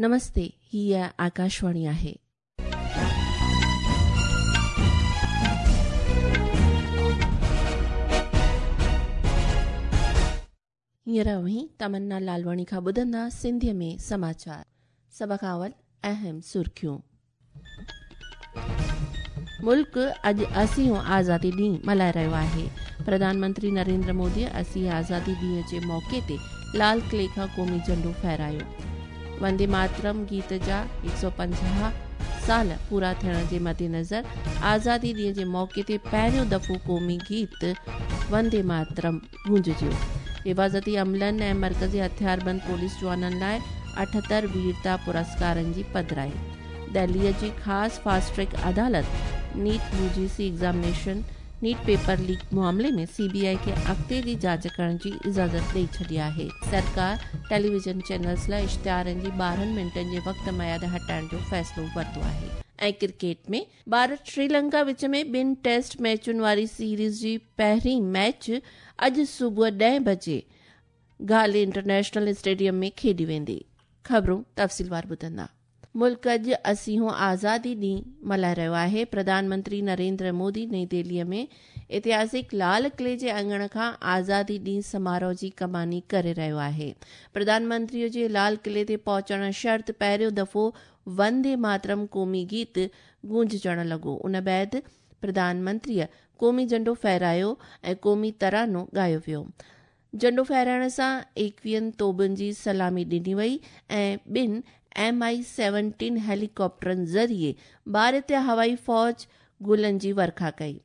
نمستي، هيء آڪاشواڻي آهي. هينئر اوهين تمنا لالواڻي کان ٻڌندا سنڌيء ۾ سماچار. سڀ کان اول اهم سرخيون. ملڪ اڄ اسيون آزادي ڏينهن ملهائي رهيو آهي. پرڌان منتري نريندر مودي اسين آزادي ڏينهن جي موقعي تي لال قلعي کان قومي جهنڊو ڦهرايو. وندي ماترم گيت جا 150 سال پورا ٿيڻ جي مدنظر آزادي ڏينهن جي موقعي تي پهريون دفعو قومي گيت وندي ماترم گونججيو. حفاظتي عملن ۽ مرڪزي هٿياربند پوليس جوانن لاء 78 ويرتا پرسڪارن جي پڌرائي. دهليء جي خاص فاسٽ ٽريڪ عدالت NEET UGC examination NEET paper leak معاملي ۾ سي بي آء کي اڳتي جي جاچ ڪرڻ جي اجازت ڏئي ڇڏي آهي. سرڪار ٽيليويزن چينلز لاء اشتهارن جي 12 منٽن جي وقت ميعاد هٽائڻ جو فيصلو ورتو آهي. ۽ ڪرڪيٽ ۾ ڀارت سريلنڪا وچ ۾ ٻن ٽيسٽ ميچن واري سيريز جي پهرين ميچ اڄ صبح 10 بجي گالي انٽرنيشنل اسٽيڊيم ۾ کيڏي ويندي. خبرون تفصيلوار ٻڌندا. ملڪ اڄ اسيهون آزادي ڏينهن ملهائي رهيو آهي. پرڌان منتري نريندر مودي نئين دهلي ۾ اتهاسڪ لال قلعي جي اڱڻ کان آزادي ڏينهن سماروهه جي ڪماني ڪري رهيو آهي. پرڌان منتري جي لال قلعي تي پهچڻ شرط پهريون دفعو وندي ماترم قومي گيت گونججڻ لڳو. ان بعد پرڌان منتريء قومي جهنڊو ڦهرايو ۽ قومي ترانو ڳايو ويو. جهنڊو ڦهرائڻ سان ايڪويهن توبن جي سلامي ڏني وئي ۽ ٻن ايم I seventeen هيليڪاپٽرن ذريعي ڀارتي هوائي فوج گلن جي ورکا ڪئي.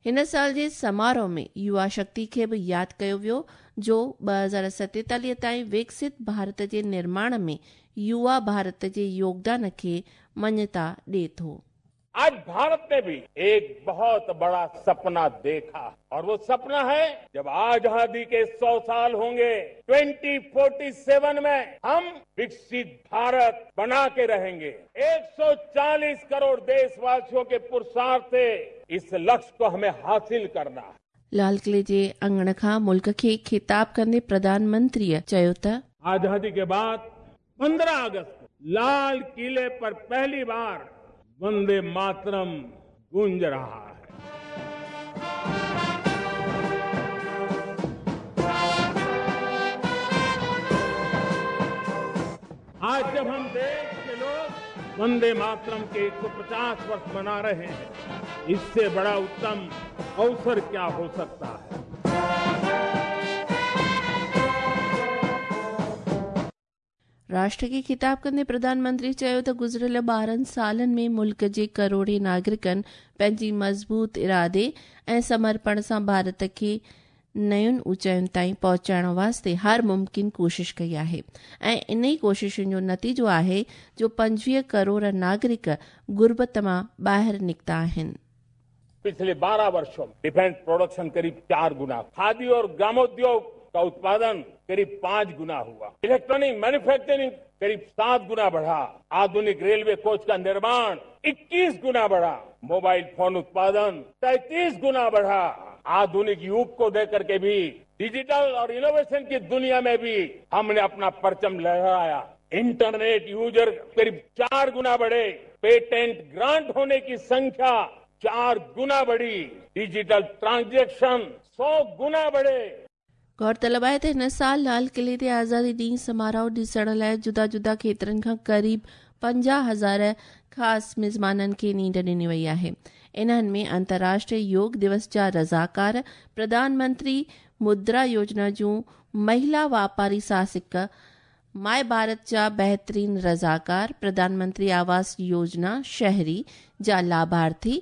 هن سال جي سماروهه ۾ يووا شڪتي کي به ياد ڪيو ويو جو 2047 تائين وڪست ڀارت جي نرماڻ ۾ يووا ڀارت جي يوگدان کي مڃتا ڏئي ٿو. आज भारत ने भी एक बहुत बड़ा सपना देखा और वो सपना है जब आजादी के 100 साल होंगे 2047 में हम विकसित भारत बना के रहेंगे। 140 करोड़ देशवासियों के पुरुषार्थ से इस लक्ष्य को हमें हासिल करना है। लाल क़िले जे अङण खां मुल्क खे ख़िताब कंदे प्रधान मंत्रीअ चयो त आजादी के बाद 15 अगस्त को लाल किले पर पहली बार वंदे मातरम गूंज रहा है। आज जब हम देश के लोग वंदे मातरम के 150 वर्ष मना रहे हैं, इससे बड़ा उत्तम अवसर क्या हो सकता है। राष्ट्र खे ख़िताब कंदे प्रधान मंत्री चयो त गुज़िरियल 12 सालनि में मुल्क जे करोड़े नागरिकनि पंहिंजी मज़बूत इरादे ऐं समर्पण सां भारत खे नयुनि ऊंचायुनि ताईं पहुचाइण वास्ते हर मुमकिन कोशिश कई आहे ऐं इन ई कोशिशुनि जो नतीजो आहे जो 25 करोड़ नागरिक गुर्बत मां ॿाहिरि निकिता आहिनि। पिछले 12 वर्षों में डिफेंस प्रोडक्शन करीब 4 गुना, खादी और ग्रामोद्योग का उत्पादन करीब 5 गुना हुआ, इलेक्ट्रॉनिक मैन्युफैक्चरिंग करीब 7 गुना बढ़ा, आधुनिक रेलवे कोच का निर्माण 21 गुना बढ़ा, मोबाइल फोन उत्पादन 33 गुना बढ़ा। आधुनिक युग को देख करके भी डिजिटल और इनोवेशन की दुनिया में भी हमने अपना परचम लहराया। इंटरनेट यूजर करीब 4 गुना बढ़े, पेटेंट ग्रांट होने की संख्या 4 गुना बढ़ी, डिजिटल ट्रांजैक्शन 100 गुना बढ़े। गौरतलब आहे त हिन साल लाल क़िले ते आज़ादी ॾींहुं समारोह ॾिसण लाइ जुदा जुदा खेत्रनि खां क़रीब 50,000 ख़ासि मिज़माननि खे नींड ॾिनी वई आहे। इन्हनि में अंतर्राष्ट्रीय योग दिवस जा रज़ाकार, प्रधानमंत्री मुद्रा योजना जूं महिला वापारी साहसिक, my Bharat जा बहितरीन रज़ाकार, प्रधानमंत्री आवास योजना शहरी जा लाभार्थी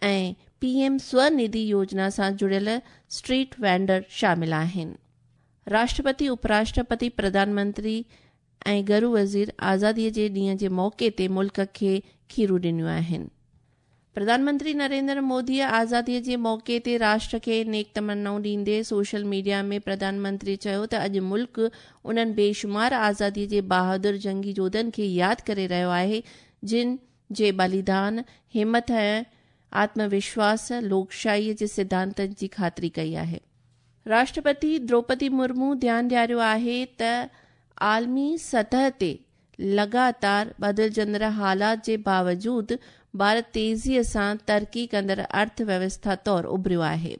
ऐं पीएम स्वनिधि योजना सां जुड़ियल स्ट्रीट वेंडर शामिल आहिनि। राष्ट्रपति, उपराष्ट्रपति, प्रधानमंत्री ऐं गरू वज़ीर आज़ादीअ जे ॾींहं जे मौक़े ते मुल्क खे खीरूं ॾिनियूं आहिनि। प्रधानमंत्री नरेंद्र मोदीअ आज़ादीअ जे मौक़े ते राष्ट्र खे नेक तमन्नाऊं ॾींदे सोशल मीडिया में प्रधानमंत्री चयो त अॼु मुल्क उन्हनि बेशुमार आज़ादीअ जे बहादुर जंगी जोधनि खे यादि करे रहियो आहे जिन जे बलिदान, हिमत ऐं आत्मविश्वास लोकशाहीअ जे सिद्धांतनि जी ख़ातिरी कई आहे। राष्ट्रपति द्रौपदी मुर्मू ध्यानु ॾियारियो आहे त आलमी सतह ते لڳاتار بدلجندڙ حالات جي باوجود ڀارت تيزيء سان ترقي ڪندڙ ارٿ ويوسٿا طور اڀريو آهي.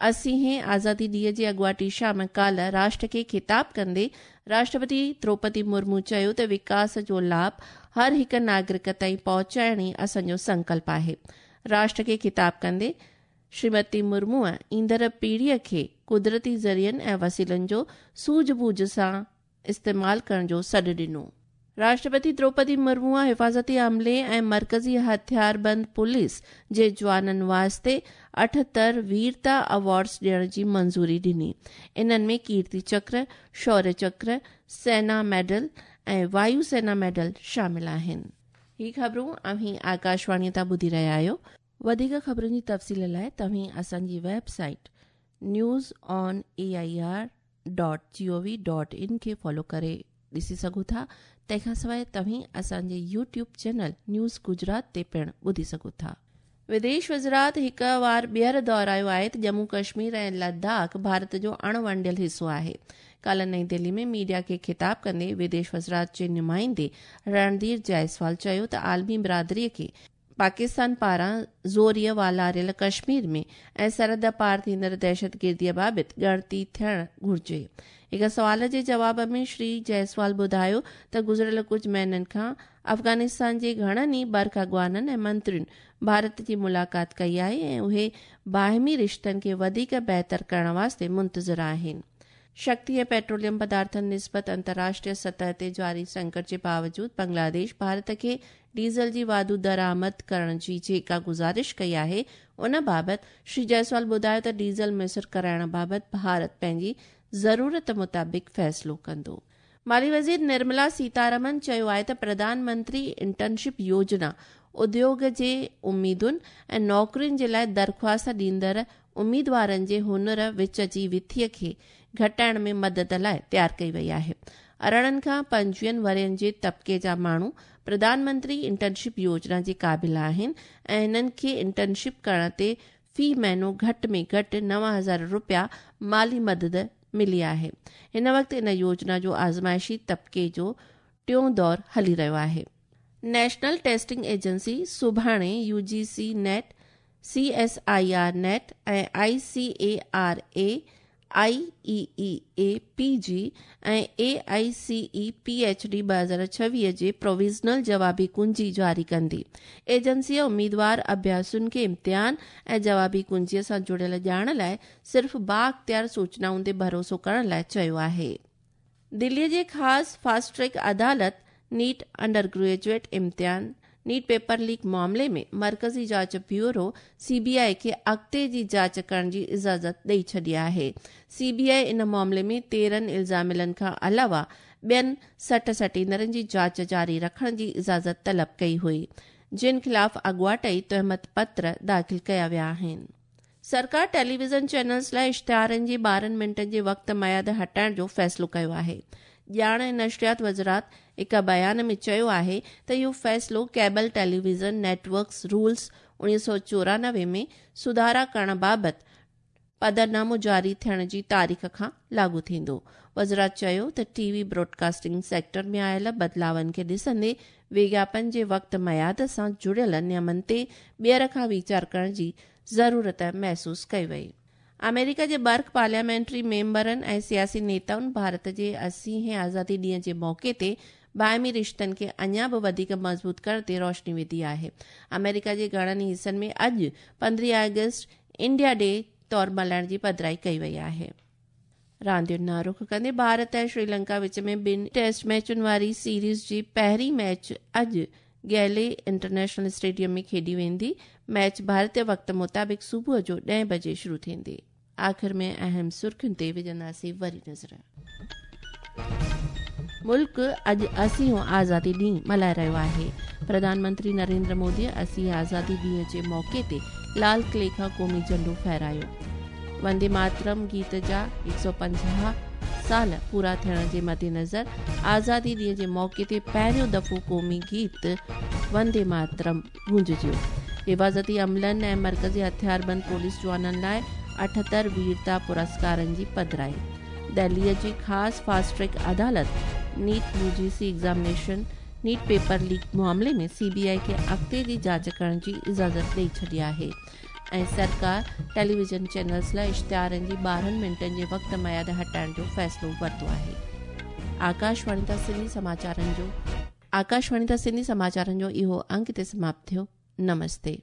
اسيهين آزادي ڏينهن جي اڳواٽي شام ڪالهه راشٽر کي خطاب ڪندي راشٽرپتي دروپدي مرمو چيو ته وڪاس جو لاڀ هر هڪ ناگرڪ تائين پهچائڻ ئي اسان جو سنڪلپ آهي. راشٽر کي خطاب ڪندي شريمتي مرموء ايندڙ پيڙهيء کي قدرتي ذريعن ۽ وسيلن جو سوجهه ٻوجهه سان استعمال ڪرڻ جو سڏ ڏنو. راشٽرپتي دروپدي مرموء حفاظتي عملي ۽ مرڪزي هٿياربند پوليس جي جوانن واسطي 78 ويرتا ايوارڊز ڏيڻ جي منظوري ڏني. انهن ۾ ڪيرتي چڪر، شوريه چڪر، سينا ميڊل ۽ وايو سينا ميڊل شامل آهن. هي خبرون اوهين آڪاشواڻيء تان ٻڌي رهيا آهيو. وڌيڪ خبرن جي تفصيل لاء توهين اسان جي website news on A I R dot G O V dot in کي فالو ڪري ڏسي سگهو ٿا. تنهن کان سواء توهين اسان جي يوٽيوب چينل نيوز گجرات تي پڻ ٻڌي سگهو ٿا. وديش وزارت هڪ وار ٻيهر دهرايو آهي ته ڄمون ڪشمير ۽ لداخ ڀارت جو اڻ ونڊيل حصو آهي. ڪالهه نئين دهلي ۾ ميڊيا کي خطاب ڪندي وديش وزارت جي نمائندي رڻڌير جائسوال چيو ته عالمي برادري کي پاڪستان پاران زوريء والاريل ڪشمير ۾ ۽ سرحد پار ٿيندڙ دهشتگرديء بابت ڳڻتي ٿيڻ گهرجي. هڪ سوال جي جواب ۾ شري جئسوال ٻڌايو ته گذريل ڪجهه مهينن کان افغانستان جي گهڻن ئي برک اڳواڻن ۽ منترين ڀارت جي ملاقات ڪئي آهي ۽ اهي باهمي رشتن کي وڌيڪ بهتر ڪرڻ واسطي منتظر آهن. شڪتي ۽ پيٽروليم پدارٿن نسبت انترراشٽريه سطح تي جاري سنڪٽ جي باوجود بنگلاديش ڀارت کي ڊيزل جي واڌو درآمد ڪرڻ جي جيڪا گذارش ڪئي آهي ان بابت شري جئسوال ٻڌايو ته ڊيزل ميسر ڪرائڻ بابت ڀارت پنهنجي ضرورت مطابق فيصلو ڪندو. مالي وزير نرملا سيتارمن چيو آهي ته پرڌان منتري انٽرنشپ يوجنا اديوگ جي اميدن ۽ نوڪرين جي لاء درخواست ڏيندڙ اميدوارن جي هنر وچ جي وٿيء کي گهٽائڻ ۾ مدد لاء تيار ڪئي وئي آهي. 18 کان 25 ورهين جي طبقي جا ماڻهو پرڌان منتري انٽرنشپ يوجنا جي قابل آهن ۽ هنن کي انٽرنشپ ڪرڻ تي في مهينو گهٽ ۾ گهٽ 9000 رپيا مالي مدد ملي آهي. هن وقت ان يوجنا جو آزمائشي طبقي جو ٽيون دور هلي رهيو آهي. نيشنل ٽيسٽنگ ايجنسي سڀاڻي U G C NET, C S I R NET ۽ I C A R A, I E E A P G ۽ A I C E P H D 2026 جي پروويزنل جوابي ڪنجي جاري ڪندي. ايجنسيء اميدوار اڀياسين کي امتحان ۽ جوابي ڪنجيء سان جڙيل ڄاڻ لاء صرف بااختيار سوچنائن تي ڀروسو ڪرڻ لاء چيو آهي. دليء جي خاص فاسٽ ٽريڪ عدالت نيٽ انڊر گريجوئيٽ امتحان نيٽ پيپر ليڪ معاملي ۾ مرڪزي جاچ بيورو، سي بي آء، کي اڳتي جي جاچ ڪرڻ جي اجازت ڏئي ڇڏي آهي. سي بي آء ان معاملي ۾ 13 الزاميلن کان علاوه ٻين 60 سٽيندرن جي جاچ جاري رکڻ جي اجازت طلب ڪئي هئي، جن خلاف اڳواٽ ئي تهمت پتر داخل ڪيا ويا آهن. سرڪار ٽيليويزن چينلز لاء اشتهارن جي 12 منٽن جي وقت ميعاد هٽائڻ جو فيصلو ڪيو آهي. ڄاڻ ۽ نشريات وزارت هڪ بيان ۾ چيو آهي ته اهو فيصلو cable television networks rules 1994 ۾ سڌارا ڪرڻ بابت پڌرنامو جاري ٿيڻ جي تاريخ کان لاڳو ٿيندو. وزارت چيو ته ٽي وي براڊڪاسٽنگ سيڪٽر ۾ آيل بدلاون کي ڏسندي وگياپن جي وقت ميعاد سان جڙيل نيمن تي ٻيهر کان ويچار ڪرڻ جي ضرورت محسوس ڪئي وئي. آمريڪا جي برک پارليامينٽري ميمبرن ۽ سياسي نيتائن ڀارت جي 80 هين آزادي ڏينهن جي موقعي تي باهمي رشتن کي اڃا به وڌيڪ مضبوط ڪرڻ تي روشني وڌي آهي. آمريڪا جي گهڻن ئي حصن ۾ اڄ 15 آگسٽ انڊيا ڊي طور ملهائڻ جي پڌرائي ڪئي وئي آهي. راندين ڏانهن رخ ڪندي ڀارت ۽ شريلنڪا وچ ۾ ٻن ٽيسٽ ميچن واري سيريز جي پهرين ميچ اڄ گيلي انٽرنيشنل اسٽيڊيم ۾ کيڏي ويندي. ميچ ڀارتي وقت مطابق صبح جو ڏهين بجي شروع ٿيندي. آخر ۾ اهم سرخين تي وجهنداسين وري نظر. ملڪ اڄ 80 هون آزادي ڏينهن ملهائي رهيو آهي. پرڌان منتري نريندر مودي 80 هين آزادي ڏينهن جي موقعي تي لال قلعي کان قومي جهنڊو ڦهرايو. وندي ماترم گيت جا 150 سال پورا ٿيڻ جي مدنظر آزادي ڏينهن جي موقعي تي پهريون دفعو قومي گيت وندي ماترم گونججيو. حفاظتي عملن ۽ مرڪزي هٿياربند پوليس جوانن لاء 78 ويرتا پرسڪارن جي پڌرائي. دهليء جي خاص فاسٽ ٽريڪ عدالت NEET UGC examination NEET paper leak معاملي ۾ سي بي آء کي اڳتي جي جاچ ڪرڻ جي اجازت ڏئي ڇڏي آهي ۽ سرڪار ٽيليويزن چينلز لاء اشتهارن جي 12 منٽن جي وقت ميعاد هٽائڻ جو فيصلو ورتو آهي. آڪاشواڻي تان سنڌي سماچارن جو آڪاشواڻي تان سنڌي سماچارن جو اهو انڪ هتي سماپت ٿيو. نمستي.